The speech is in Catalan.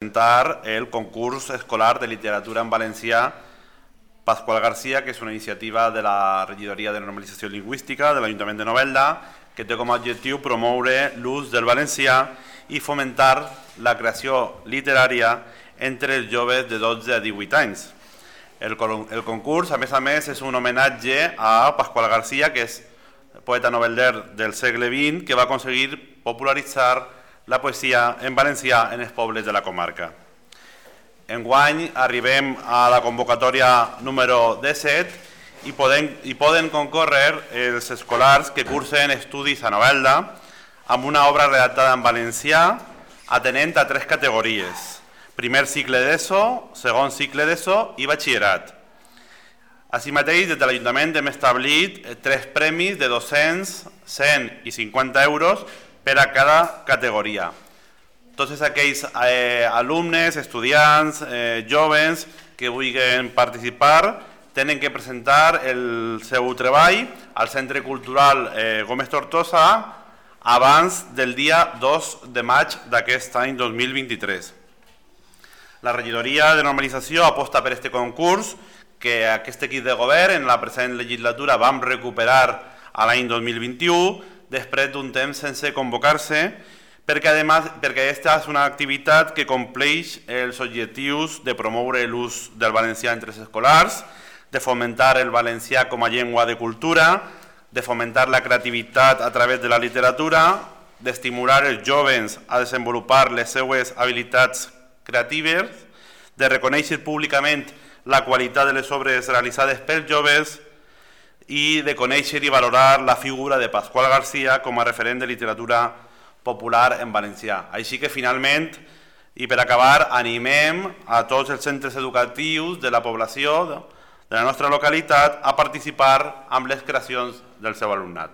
presentar el concurs escolar de literatura en valencià Pasqual Garcia, que és una iniciativa de la Regidoria de Normalització Lingüística de l'Ajuntament de Novelda, que té com a objectiu promoure l'ús del valencià i fomentar la creació literària entre els joves de 12 a 18 anys. El concurs, a més, és un homenatge a Pasqual Garcia, que és poeta novelder del segle XX, que va aconseguir popularitzar la poesia en valencià en els pobles de la comarca. Enguany arribem a la convocatòria número 17 i poden concórrer els escolars que cursen estudis a Novelda amb una obra redactada en valencià atenent a 3 categories: primer cicle d'ESO, segon cicle d'ESO i batxillerat. Així mateix, des de l'Ajuntament hem establit 3 premis de 200, 100 i 50 euros per a cada categoria. Tots aquells alumnes, estudiants, joves que vulguin participar tenen que presentar el seu treball al Centre Cultural Gómez Tortosa abans del dia 2 de maig d'aquest any 2023. La Regidoria de Normalització aposta per aquest concurs que aquest equip de govern en la present legislatura vam recuperar a l'any 2021 després d'un temps sense convocar-se, perquè aquesta és una activitat que compleix els objectius de promoure l'ús del valencià entre els escolars, de fomentar el valencià com a llengua de cultura, de fomentar la creativitat a través de la literatura, d'estimular els joves a desenvolupar les seues habilitats creatives, de reconèixer públicament la qualitat de les obres realitzades pels joves i de conèixer i valorar la figura de Pasqual Garcia com a referent de literatura popular en valencià. Així que finalment, i per acabar, animem a tots els centres educatius de la població de la nostra localitat a participar amb les creacions del seu alumnat.